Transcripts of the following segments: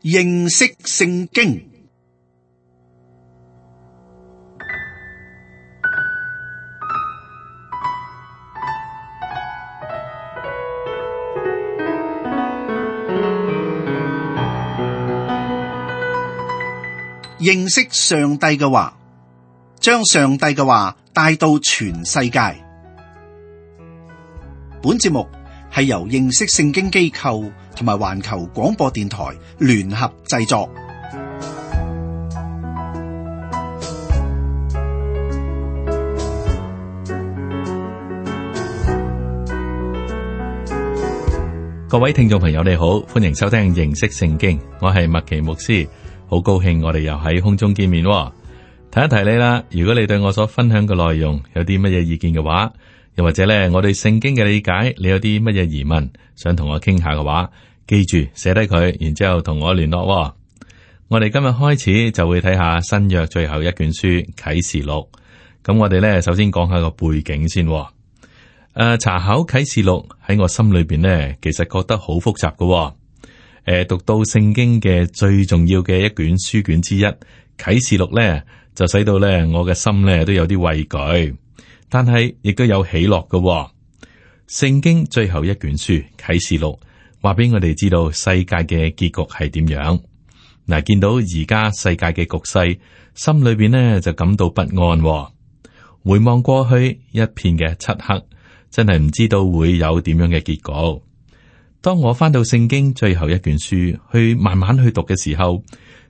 認識聖經。認識上帝嘅話，將上帝嘅話帶到全世界。本節目係由認識聖經機構同埋環球廣播電台聯合製作。各位聽眾朋友，你好，歡迎收聽認識聖經，我係麥奇牧師。好高興我哋又喺空中見面喎。提一提你啦，如果你對我所分享嘅內容有啲乜嘢意見嘅話，又或者咧我對聖經嘅理解，你有啲乜嘢疑問想同我傾下嘅話，記住寫低佢，然之後同我聯絡喎。我哋今日開始就會睇下新約最後一卷書啟示錄。咁我哋咧首先講下個背景先喎。查考啟示錄喺我心裏邊咧，其實覺得好複雜嘅喎。讀到聖經嘅最重要嘅一卷書卷之一啟示錄咧，就使到咧我嘅心咧都有啲畏懼，但係亦都有喜樂嘅喎。聖經最後一卷書啟示錄話俾我哋知道世界嘅結局係點樣。嗱，見到而家世界嘅局勢，心裏邊呢就感到不安喎。回望過去一片嘅漆黑，真係唔知道會有點樣嘅結局。當我翻到聖經最後一卷書去慢慢去讀嘅時候，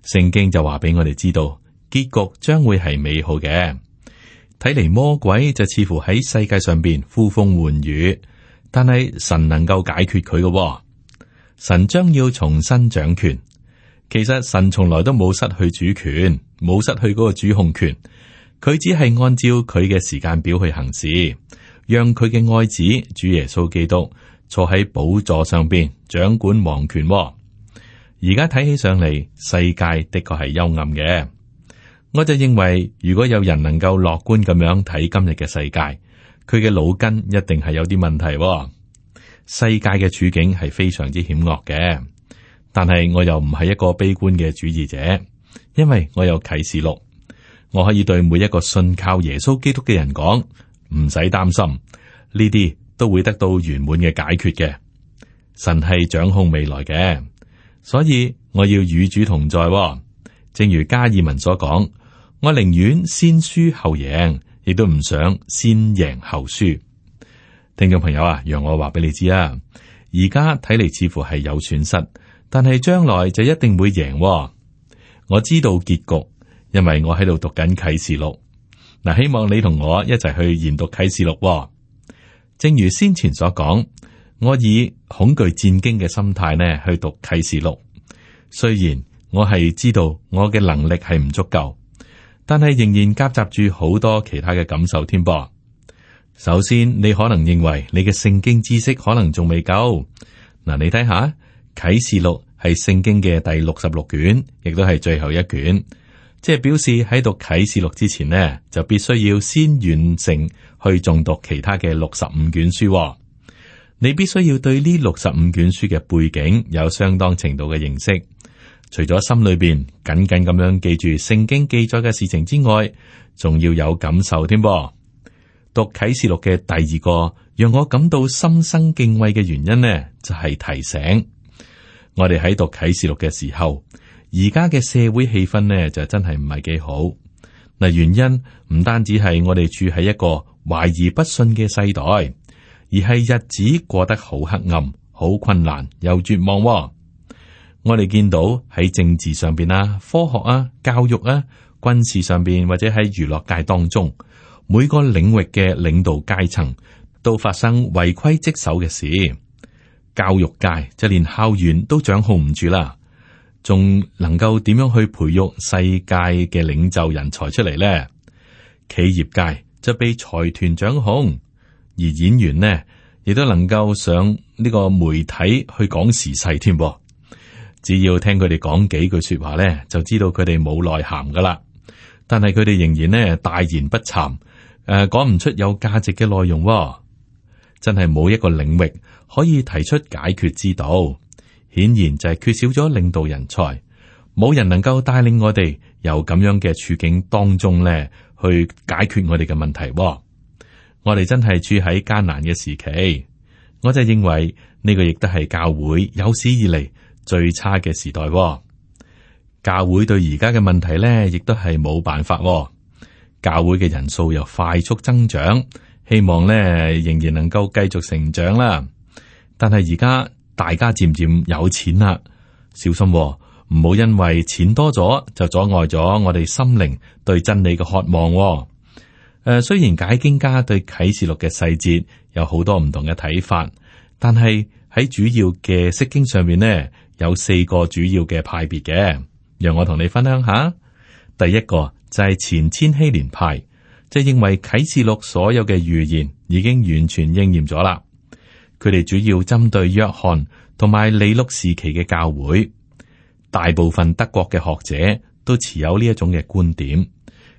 聖經就話俾我哋知道結局將會係美好嘅。睇嚟魔鬼就似乎喺世界上邊呼風喚雨，但係神能夠解決佢嘅喎。神將要重新掌權。其實神從來都冇失去主權，冇失去嗰個主控權，佢只係按照佢嘅時間表去行事，讓佢嘅愛子主耶穌基督坐喺寶座上邊掌管王權喎。而家睇起上嚟，世界的確係幽暗嘅。我就認為，如果有人能夠樂觀咁樣睇今日嘅世界，佢嘅腦筋一定係有啲問題喎。世界嘅處境係非常之險惡嘅，但係我又唔係一個悲觀嘅主義者，因為我有啟示錄，我可以對每一個信靠耶穌基督嘅人講，唔使擔心，呢啲都會得到圓滿嘅解決嘅。神係掌控未來嘅，所以我要與主同在喎。正如加爾文所講，我寧願先輸後贏，亦都唔想先贏後輸。聽眾朋友啊，讓我話俾你知啊，而家睇嚟似乎係有損失，但係將來就一定會贏喎。我知道結局，因為我喺度讀緊啟示錄。嗱，希望你同我一齊去研讀啟示錄喎。正如先前所講，我以恐懼戰驚嘅心態呢去讀啟示錄。雖然我係知道我嘅能力係唔足夠，但係仍然夾雜住好多其他嘅感受添噃。首先，你可能認為你嘅聖經知識可能仲未夠。嗱，你睇下啟示錄係聖經嘅第66卷，亦都係最後一卷。即係表示喺讀啟示錄之前呢，就必須要先完成去誦讀其他嘅65卷書喎。你必須要對呢65卷書嘅背景有相當程度嘅認識。除咗心裏邊緊緊咁樣記住聖經記載嘅事情之外，仲要有感受添噃。讀啟示錄嘅第二個讓我感到心生敬畏嘅原因呢，就係提醒我哋喺讀啟示錄嘅時候，而家嘅社會氣氛呢，就真係唔係幾好。嗱，原因唔單止係我哋住喺一個懷疑不信嘅世代，而係日子過得好黑暗、好困難又絕望喎。我哋見到喺政治上邊啊、科學啊、教育啊、軍事上邊或者喺娛樂界當中，每個領域嘅領導階層都發生違規職守嘅事。教育界就連校園都掌控唔住啦。仲能夠點樣去培育世界嘅領袖人才出嚟呢？企業界就被財團掌控，而演員呢亦都能夠上呢個媒體去講時勢添噃。只要聽佢哋講幾句說話呢，就知道佢哋冇內涵噶啦。但係佢哋仍然呢大言不慚，講唔出有價值嘅內容喎。真係冇一個領域可以提出解決之道。顯然就係缺少咗領導人才，冇人能夠帶領我哋由咁樣嘅處境當中咧去解決我哋嘅問題。我哋真係處喺艱難嘅時期，我就認為呢個亦都係教會有史以嚟最差嘅時代。教會對而家嘅問題咧，亦都係冇辦法。教會嘅人數又快速增長，希望咧仍然能夠繼續成長啦。但係而家大家漸漸有錢啦，小心唔好因為錢多咗就阻礙咗我哋心靈對真理嘅渴望。雖然解經家對啟示錄嘅細節有好多唔同嘅睇法，但係喺主要嘅釋經上面呢，有4個主要嘅派別嘅。讓我同你分享下。第一個就係前千禧年派，即係認為啟示錄所有嘅預言已經完全應驗咗啦。佢哋主要針對約翰同埋尼祿時期嘅教會，大部分德國嘅學者都持有呢一種嘅觀點。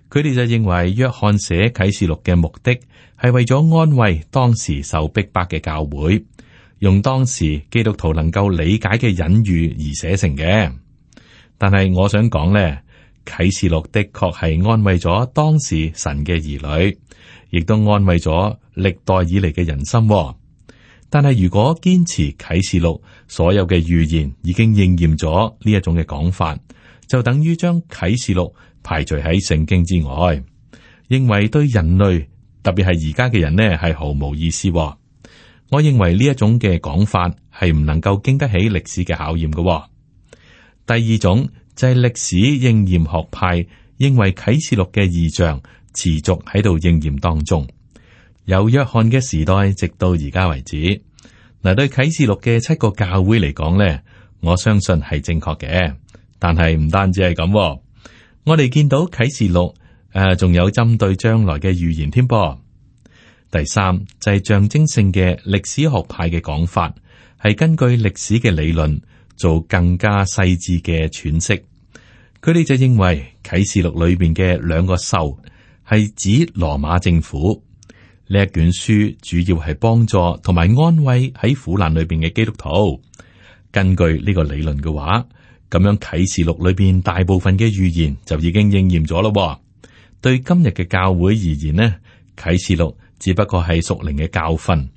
佢哋就認為約翰寫啟示錄嘅目的係為咗安慰當時受逼迫嘅教會，用當時基督徒能夠理解嘅隱喻而寫成嘅。但係我想講咧，啟示錄的確係安慰咗當時神嘅兒女，亦都安慰咗歷代以嚟嘅人心。但係如果堅持啟示錄所有嘅預言已經應驗咗呢一種嘅講法，就等於將啟示錄排除喺聖經之外，認為對人類，特別係而家嘅人呢，係毫無意思。我認為呢一種嘅講法係唔能夠經得起歷史嘅考驗嘅。第二種就係歷史應驗學派，認為啟示錄嘅異象持續喺度應驗當中，由約翰嘅時代直到而家為止。嗱，對啟示錄嘅7個教會嚟講呢，我相信係正確嘅。但係唔單止係咁，我哋見到啟示錄仲有針對將來嘅預言添噃。第三就係象徵性嘅歷史學派嘅講法，係根據歷史嘅理論做更加細緻嘅詮釋。佢哋就認為啟示錄裏邊嘅2個獸係指羅馬政府。呢一卷書主要係幫助同埋安慰喺苦難裏邊嘅基督徒。根據呢個理論嘅話，咁樣啟示錄裏邊大部分嘅預言就已經應驗咗咯。對今日嘅教會而言呢，啟示錄只不過係屬靈嘅教訓。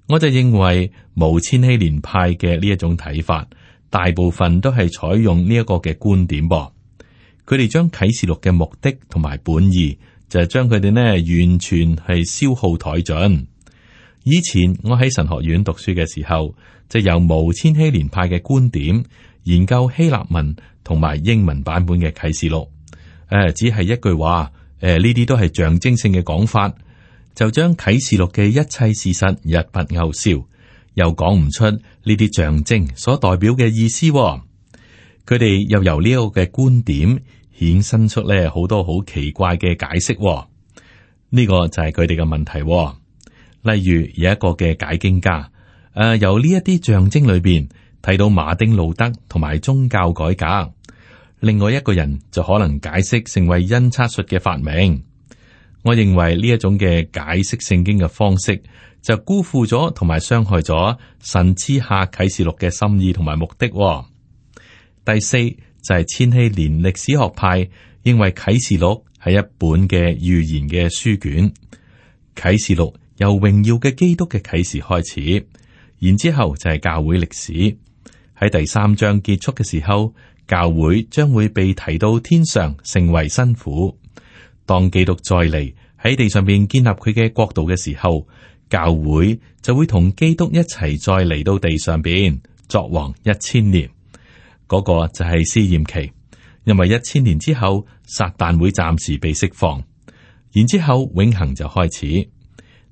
我就認為無千禧年派嘅呢一種睇法，大部分都係採用呢一個嘅觀點噃。佢哋將啟示錄嘅目的同埋本意，就係將佢哋呢完全係消耗殆盡。以前我喺神學院讀書嘅時候，就由無千禧年派嘅觀點研究希臘文同埋英文版本嘅啟示錄。只係一句話，呢啲都係象徵性嘅講法，就將啟示錄嘅一切事實一筆勾銷，又講唔出呢啲象徵所代表嘅意思。佢哋又由呢個嘅觀點衍生出咧好多好奇怪嘅解釋。呢個就係佢哋嘅問題。例如有一個嘅解經家，由呢一啲象徵裏邊睇到馬丁路德同埋宗教改革。另外一個人就可能解釋成為印刷術嘅發明。我認為呢一種嘅解釋聖經嘅方式，就辜負咗同埋傷害咗神賜下啟示錄嘅心意同埋目的。第四就係千禧年歷史學派認為啟示錄係一本嘅預言嘅書卷。啟示錄由榮耀嘅基督嘅啟示開始，然之後就係教會歷史。喺第3章結束嘅時候，教會將會被提到天上，成為新婦。當基督再嚟喺地上邊建立佢嘅國度嘅時候，教會就會同基督一齊再嚟到地上邊作王1000年。嗰個就係試驗期，因為1000年之後，撒旦會暫時被釋放，然之後永恆就開始。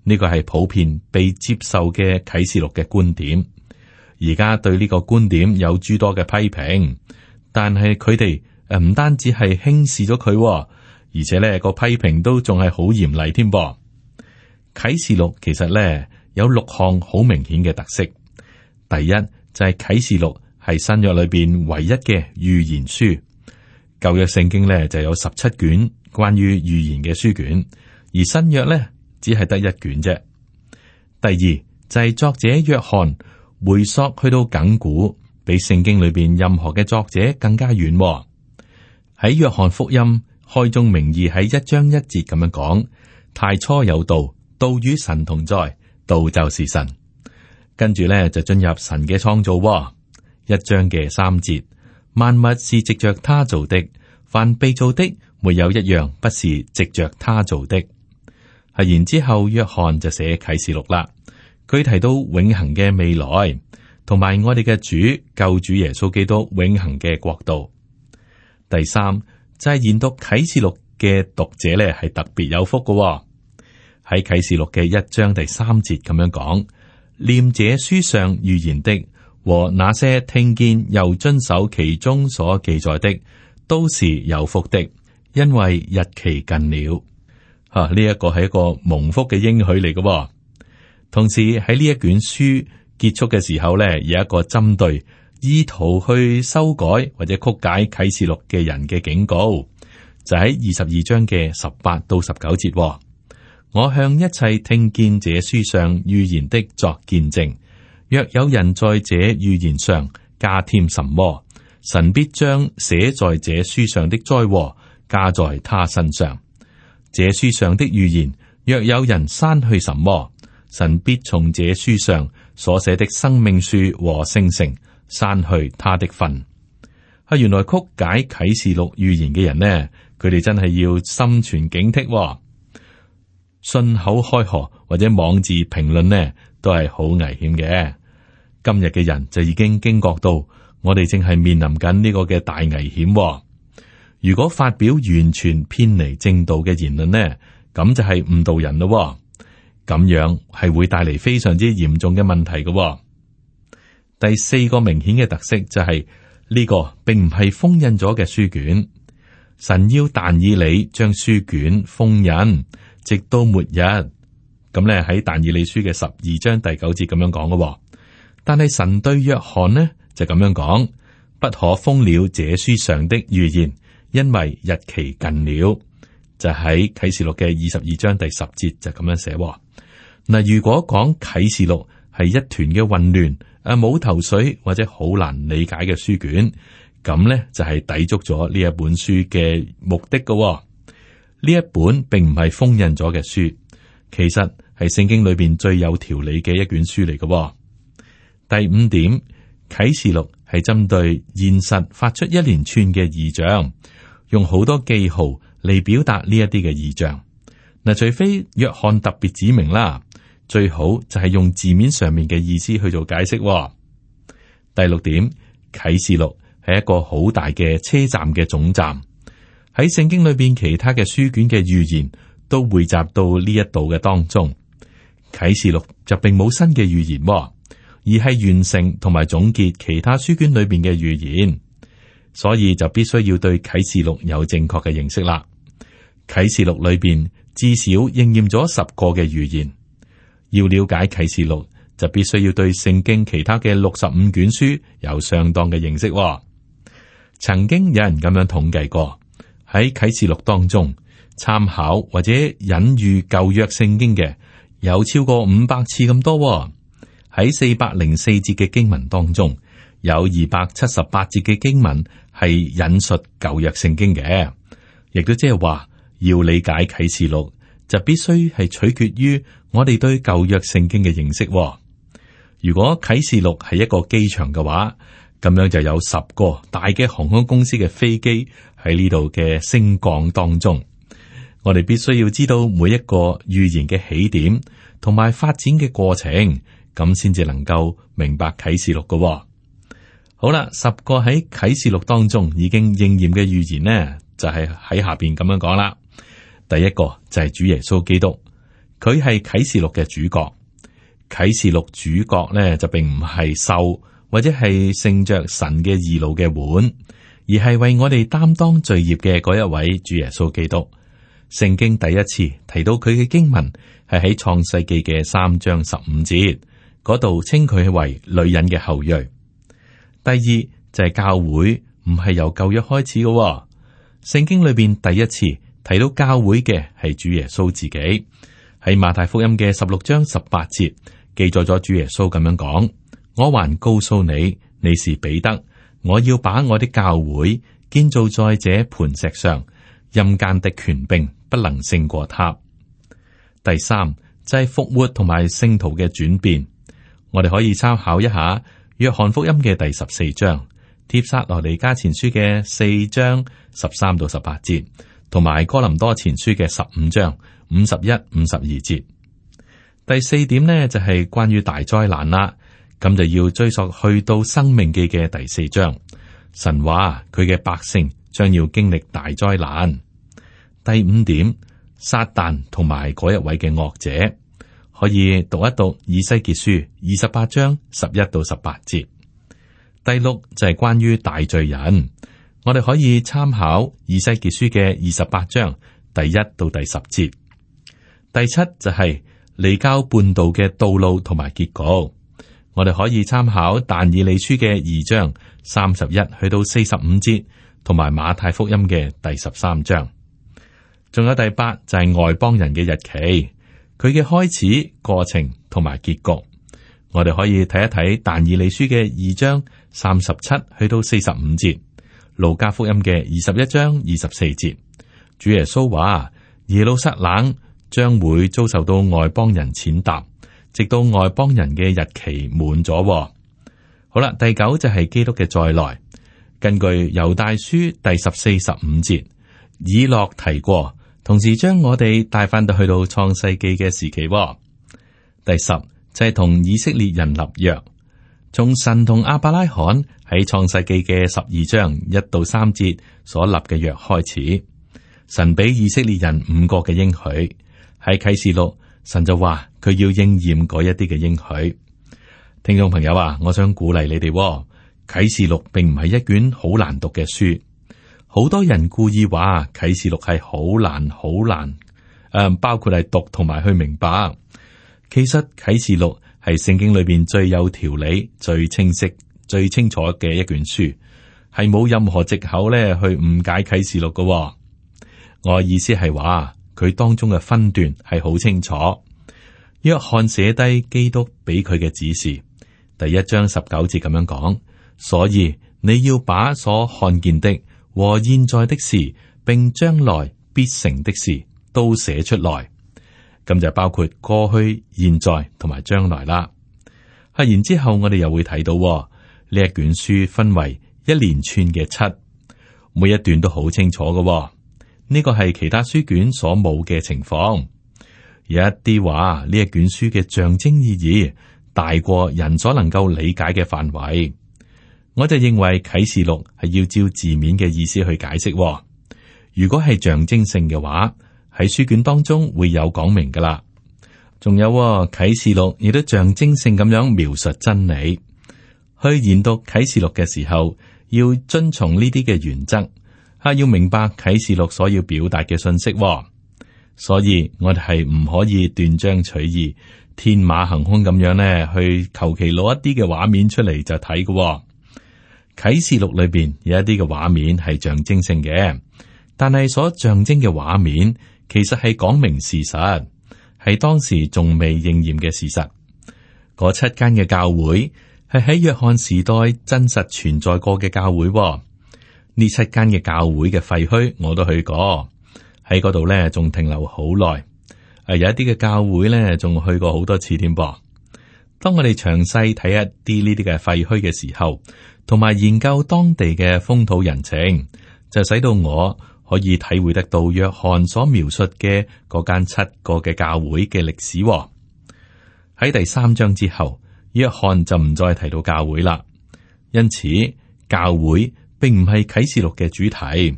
呢個係普遍被接受嘅啟示錄嘅觀點。而家對呢個觀點有諸多嘅批評，但係佢哋唔單止係輕視咗佢，而且呢個批評都仲係好嚴厲添噃。啟示錄其實呢有6項好明顯嘅特色。第一就係啟示錄係新約裏邊唯一嘅預言書。舊約聖經呢就有17卷關於預言嘅書卷，而新約呢只係得1卷啫。第二就係作者約翰回溯去到亙古，比聖經裏邊任何嘅作者更加遠喎。喺約翰福音開宗明義喺1章1節咁樣講：太初有道，道與神同在，道就是神。跟住咧就進入神嘅創造喎。1章嘅3節，萬物是藉着他造的，凡被造的沒有一樣不是藉着他造的。係然之後，約翰就寫啟示錄啦。佢提到永恆嘅未來，同埋我哋嘅主救主耶穌基督永恆嘅國度。第三就係研讀啟示錄嘅讀者咧，係特別有福嘅喎。喺啟示錄嘅1章第3節咁樣講：念這書上預言的和那些聽見又遵守其中所記載的，都是有福的，因為日期近了。呢一個係一個蒙福嘅應許嚟嘅喎。同時喺呢一卷書結束嘅時候咧，有一個針對意圖去修改或者曲解啟示錄嘅人嘅警告，就喺22章嘅18到19節喎。我向一切聽見這書上預言的作見證，若有人在這預言上加添什麼，神必將寫在這書上的災禍加在他身上。這書上的預言，若有人刪去什麼，神必從這書上所寫的生命樹和聖城刪去他的份。原來曲解啟示錄預言嘅人呢，佢哋真係要心存警惕喎。信口開河或者妄自評論呢，都係好危險嘅。今日嘅人就已經驚覺到，我哋正係面臨緊呢個嘅大危險喎。如果發表完全偏離正道嘅言論呢，咁就係誤導人咯。咁樣係會帶嚟非常之嚴重嘅問題嘅喎。第四個明顯嘅特色就係呢個並唔係封印咗嘅書卷，神要但以理將書卷封印，直到末日。咁咧喺但以理書嘅12章第9節咁樣講嘅。但係神對約翰呢就咁樣講：不可封了這書上的預言，因為日期近了。就喺啟示錄嘅22章第10節就咁樣寫。嗱，如果講啟示錄係一團嘅混亂，冇頭緒或者好難理解嘅書卷，咁呢就係抵觸咗呢一本書嘅目的嘅。呢一本並唔係封印咗嘅書，其實係聖經裏邊最有條理嘅一卷書嚟嘅。第5點，啟示錄係針對現實發出一連串嘅異象，用好多記號嚟表達呢一啲嘅異象。嗱，除非約翰特別指明啦，最好就係用字面上面嘅意思去做解釋。第6點，啟示錄係一個好大嘅車站嘅總站，喺聖經裏邊其他嘅書卷嘅預言都匯集到呢一度嘅當中。啟示錄就並冇新嘅預言，而係完成同埋總結其他書卷裏邊嘅預言，所以就必須要對啟示錄有正確嘅認識啦。啟示錄裏邊至少應驗咗10個嘅預言。要了解啟示錄，就必須要對聖經其他嘅65卷書有相當嘅認識。曾經有人咁樣統計過，喺啟示錄當中參考或者引喻舊約聖經嘅有超過500次咁多。喺404節嘅經文當中，有278節嘅經文係引述舊約聖經嘅，亦都即係話要理解啟示錄，就必須係取決於我哋對舊約聖經嘅認識。如果啟示錄係一個機場嘅話，咁樣就有10個大嘅航空公司嘅飛機喺呢度嘅升降當中。我哋必須要知道每一個預言嘅起點同埋發展嘅過程，咁先至能夠明白啟示錄嘅。好啦，10個喺啟示錄當中已經應驗嘅預言呢，就係喺下邊咁樣講啦。第一個就係主耶穌基督，佢係啟示錄嘅主角。啟示錄主角呢，就並唔係獸或者係乘着神嘅義怒嘅碗，而係為我哋擔當罪孽嘅嗰一位主耶穌基督。聖經第一次提到佢嘅經文係喺創世記嘅3章15節嗰度，稱佢為女人嘅後裔。第二就係教會唔係由舊約開始嘅。聖經裏邊第一次提到教會嘅係主耶穌自己，喺馬太福音嘅16章18節記載咗主耶穌咁樣講：我還告訴你，你是彼得，我要把我的教會建造在這磐石上，陰間的權柄不能勝過他。第三就係復活同埋聖徒嘅轉變，我哋可以參考一下約翰福音嘅第14章、帖撒羅尼迦前書嘅4章13到18節，同埋哥林多前書嘅15章51、52節。第四點呢，就係關於大災難啦，咁就要追溯去到申命記嘅第4章，神話佢嘅百姓將要經歷大災難。第五點，撒旦同埋嗰一位嘅惡者，可以讀一讀以西結書28章11到18節。第六就係關於大罪人，我哋可以參考以西結書嘅28章第1到第10節。第七就係離經叛道嘅道路同埋結局，我哋可以參考但以理書嘅2章31去到45節，同埋馬太福音嘅第13章。仲有第八就係外邦人嘅日期，佢嘅開始、過程同埋結局，我哋可以睇一睇但以理書嘅2章37去到45節，路加福音嘅21章24節。主耶穌話耶路撒冷將會遭受到外邦人踐踏，直到外邦人嘅日期滿咗。好啦，第九就係基督嘅再來。根據猶大書第14、15節，以諾提過，同時將我哋帶翻到去到創世記嘅時期。第十就係同以色列人立約，從神同亞伯拉罕喺創世記嘅12章1到3節所立嘅約開始，神俾以色列人5個嘅應許。喺啟示錄，神就話佢要應驗嗰一啲嘅應許。聽眾朋友啊，我想鼓勵你哋，啟示錄並唔係一卷好難讀嘅書。好多人故意話啟示錄係好難好難，包括係讀同埋去明白。其實啟示錄係聖經裏邊最有條理、最清晰、最清楚嘅一卷書，係冇任何藉口咧去誤解啟示錄嘅。我意思係話，佢當中嘅分段係好清楚。約翰寫低基督俾佢嘅指示，第1章19節咁樣講，所以你要把所看見的和現在的事，並將來必成的事都寫出來。咁就包括過去、現在同埋將來啦。然之後我哋又會睇到呢一卷書分為一連串嘅7，每一段都好清楚嘅。呢個係其他書卷所冇嘅情況。有一啲話呢一卷書嘅象徵意義大過人所能夠理解嘅範圍。我就認為啟示錄係要照字面嘅意思去解釋。如果係象徵性嘅話，喺書卷當中會有講明噶啦。仲有啟示錄亦都象徵性咁樣描述真理。去研讀啟示錄嘅時候，要遵從呢啲嘅原則。要明白啟示錄所要表達嘅信息。所以我哋係唔可以斷章取義、天馬行空咁樣呢去求其攞一啲嘅畫面出嚟就睇嘅。啟示錄裏邊有一啲嘅畫面係象徵性嘅，但係所象徵嘅畫面其實係講明事實，係當時仲未應驗嘅事實。嗰7間嘅教會係喺約翰時代真實存在過嘅教會。呢7間嘅教會嘅廢墟我都去過，喺嗰度咧仲停留好耐。有一啲嘅教會咧仲去過好多次添噃。當我哋詳細睇一啲呢啲嘅廢墟嘅時候，同埋研究當地嘅風土人情，就使到我可以體會得到約翰所描述嘅嗰間7個嘅教會嘅歷史。喺第3章之後，約翰就唔再提到教會啦。因此，教會並唔係啟示錄嘅主題。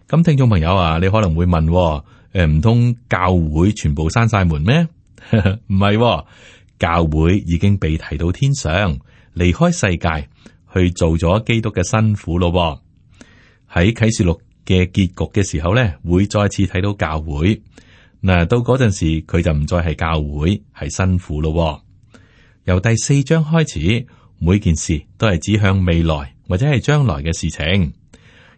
咁聽眾朋友啊，你可能會問，唔通教會全部閂晒門咩？唔係，教會已經被提到天上，離開世界，去做咗基督嘅新婦咯。喺啟示錄嘅結局嘅時候咧，會再次睇到教會。嗱，到嗰陣時，佢就唔再係教會，係新婦咯。由第4章開始，每件事都係指向未來或者係將來嘅事情。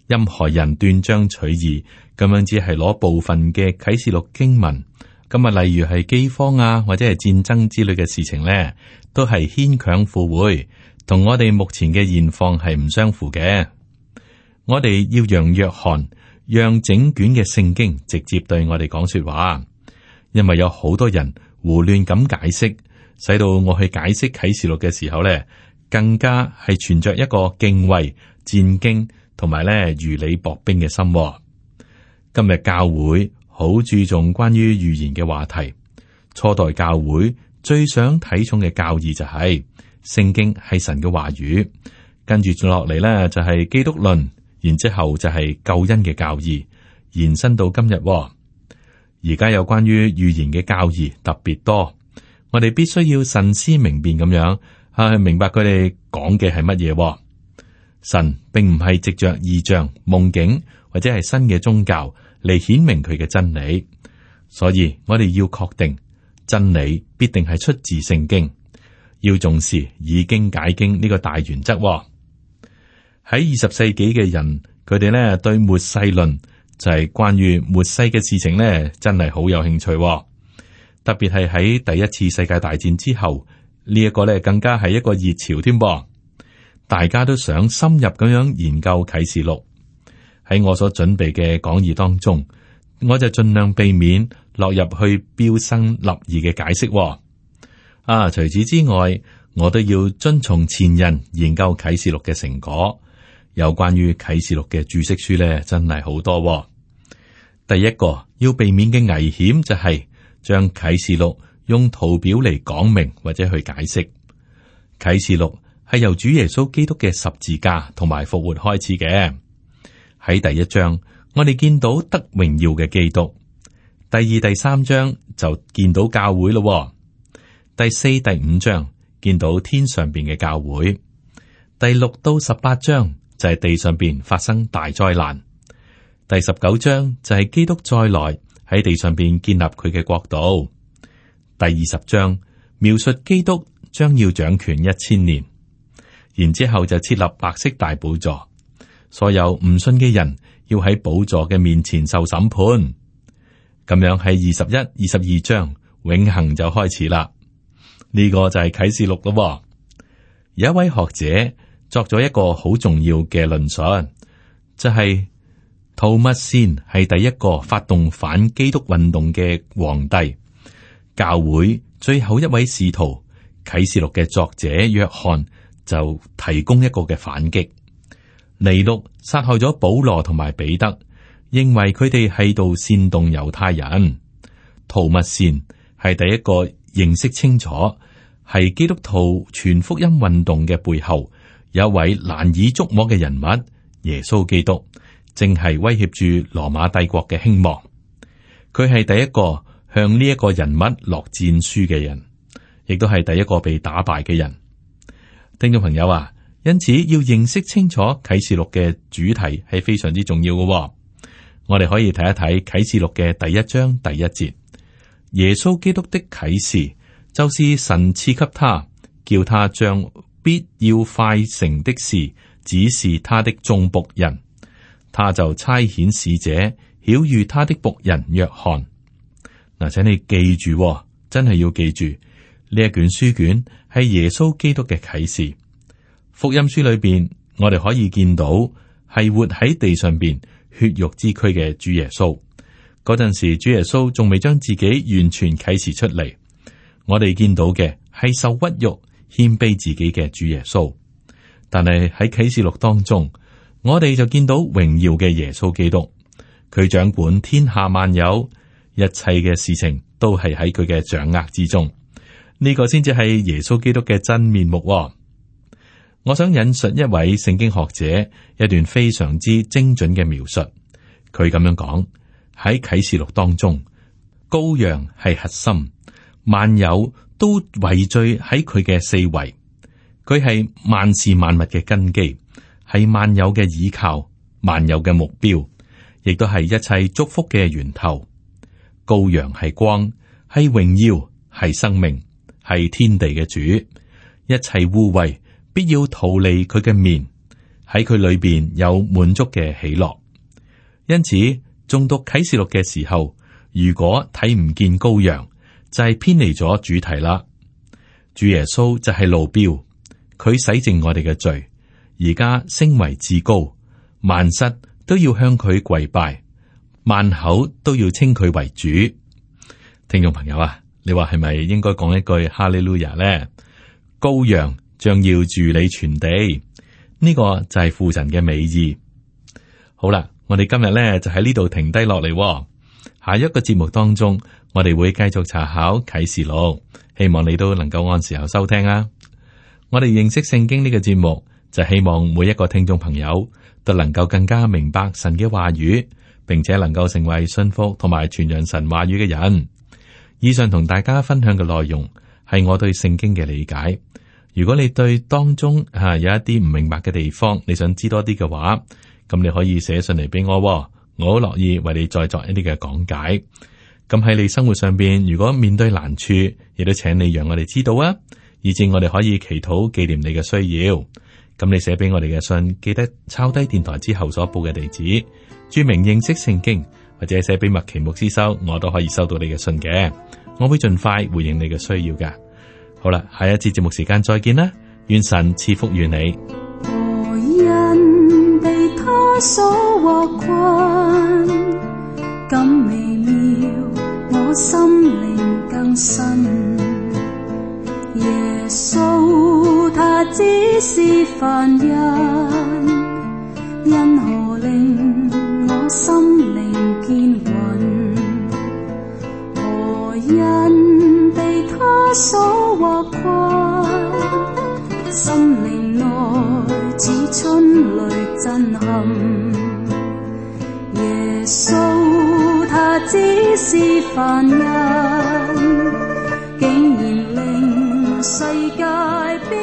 任何人斷章取義咁樣，只係攞部分嘅啟示錄經文，咁啊，例如係饑荒啊，或者係戰爭之類嘅事情咧，都係牽強附會，同我哋目前嘅現況係唔相符嘅。我哋要讓約翰，讓整卷嘅聖經直接對我哋講說話，因為有好多人胡亂咁解釋，使到我去解釋啟示錄嘅時候咧，更加係存着一個敬畏、戰兢同埋咧如履薄冰嘅心。今日教會好注重關於預言嘅話題，初代教會最想睇重嘅教義就係聖經係神嘅話語，跟住落嚟咧就係基督論，然之後就係救恩嘅教義，延伸到今日。而家有關於預言嘅教義特別多，我哋必須要慎思明辨咁樣去明白佢哋講嘅係乜嘢。神並唔係藉着異象、夢境或者係新嘅宗教嚟顯明佢嘅真理，所以我哋要確定真理必定係出自聖經，要重視以經解經呢個大原則。喺20世紀嘅人，佢哋咧對末世論就係關於末世嘅事情咧，真係好有興趣。特別係喺第一次世界大戰之後，呢一個咧更加係一個熱潮添噃。大家都想深入咁樣研究啟示錄。喺我所準備嘅講義當中，我就盡量避免落入去標新立異嘅解釋。除此之外，我都要遵從前人研究啟示錄嘅成果。有關於啟示錄嘅注釋書咧，真係好多。第一個要避免嘅危險就係將啟示錄用圖表嚟講明或者去解釋。啟示錄係由主耶穌基督嘅十字架同埋復活開始嘅。喺第一章，我哋見到得榮耀嘅基督；第二、第三章就見到教會咯；第四、第五章見到天上邊嘅教會；第6到18章就係地上邊發生大災難；第19章就係基督再來喺地上邊建立佢嘅國度；第20章描述基督將要掌權1000年，然之後就設立白色大寶座。所有唔信嘅人要喺寶座嘅面前受審判，咁樣喺21、22章永恆就開始啦。呢個就係啟示錄咯。有一位學者作咗一個好重要嘅論述，就係圖密善係第一個發動反基督運動嘅皇帝，教會最後一位使徒啟示錄嘅作者約翰就提供一個嘅反擊。尼祿殺害咗保羅同埋彼得，認為佢哋喺度煽動猶太人。圖密善係第一個認識清楚係基督徒全福音運動嘅背後有一位難以捉摸嘅人物，耶穌基督正係威脅住羅馬帝國嘅興亡。佢係第一個向呢一個人物落戰書嘅人，亦都係第一個被打敗嘅人。聽眾朋友啊，因此要認識清楚啟示錄嘅主題係非常之重要嘅。我哋可以睇一睇啟示錄嘅第1章第1節，耶穌基督的啟示就是神賜給他，叫他將必要快成的事指示他的眾僕人，他就差遣使者曉諭他的僕人約翰。嗱，請你記住，真係要記住呢一卷書卷係耶穌基督嘅啟示。福音書裏邊，我哋可以見到係活喺地上邊血肉之軀嘅主耶穌。嗰陣時，主耶穌仲未將自己完全啟示出嚟。我哋見到嘅係受屈辱、謙卑自己嘅主耶穌。但係喺啟示錄當中，我哋就見到榮耀嘅耶穌基督，佢掌管天下萬有，一切嘅事情都係喺佢嘅掌握之中。呢個先至係耶穌基督嘅真面目。我想引述一位聖經學者一段非常之精準嘅描述。佢咁樣講，喺啟示錄當中，羔羊係核心，萬有都圍聚喺佢嘅四圍。佢係萬事萬物嘅根基，係萬有嘅倚靠，萬有嘅目標，亦都係一切祝福嘅源頭。羔羊係光，係榮耀，係生命，係天地嘅主。一切污穢必要逃離佢嘅面，喺佢裏邊有滿足嘅喜樂。因此，誦讀啟示錄嘅時候，如果睇唔見羔羊，就係偏離咗主題啦。主耶穌就係路標，佢洗淨我哋嘅罪，而家升為至高，萬膝都要向佢跪拜，萬口都要稱佢為主。聽眾朋友啊，你話係咪應該講一句哈利路亞呢？羔羊將要治理全地，呢個就係父神嘅美意。好啦，我哋今日呢就喺呢度停低落嚟。下一個節目當中，我哋會繼續查考啟示錄，希望你都能夠按時候收聽啊！我哋認識聖經呢個節目，就希望每一個聽眾朋友都能夠更加明白神嘅話語，並且能夠成為信服同埋傳揚神話語嘅人。以上同大家分享嘅內容係我對聖經嘅理解。如果你對當中有一啲唔明白嘅地方，你想知多啲嘅話，咁你可以寫信嚟俾我，我好樂意為你再作一啲嘅講解。咁喺你生活上邊，如果面對難處，亦都請你讓我哋知道啊，以致我哋可以祈禱紀念你嘅需要。咁你寫俾我哋嘅信，記得抄低電台之後所報嘅地址，注明認識聖經，或者寫俾麥奇牧師收，我都可以收到你嘅信嘅。我會盡快回應你嘅需要噶。好啦，下一次節目時間再見啦，願神賜福於你。何人被他所惑困，感微妙，我心靈更新。耶穌他只是凡人，因何令我心靈堅穩？何人被他所惑困，心靈內似春雷震撼。耶穌他只是凡人，竟然令世界變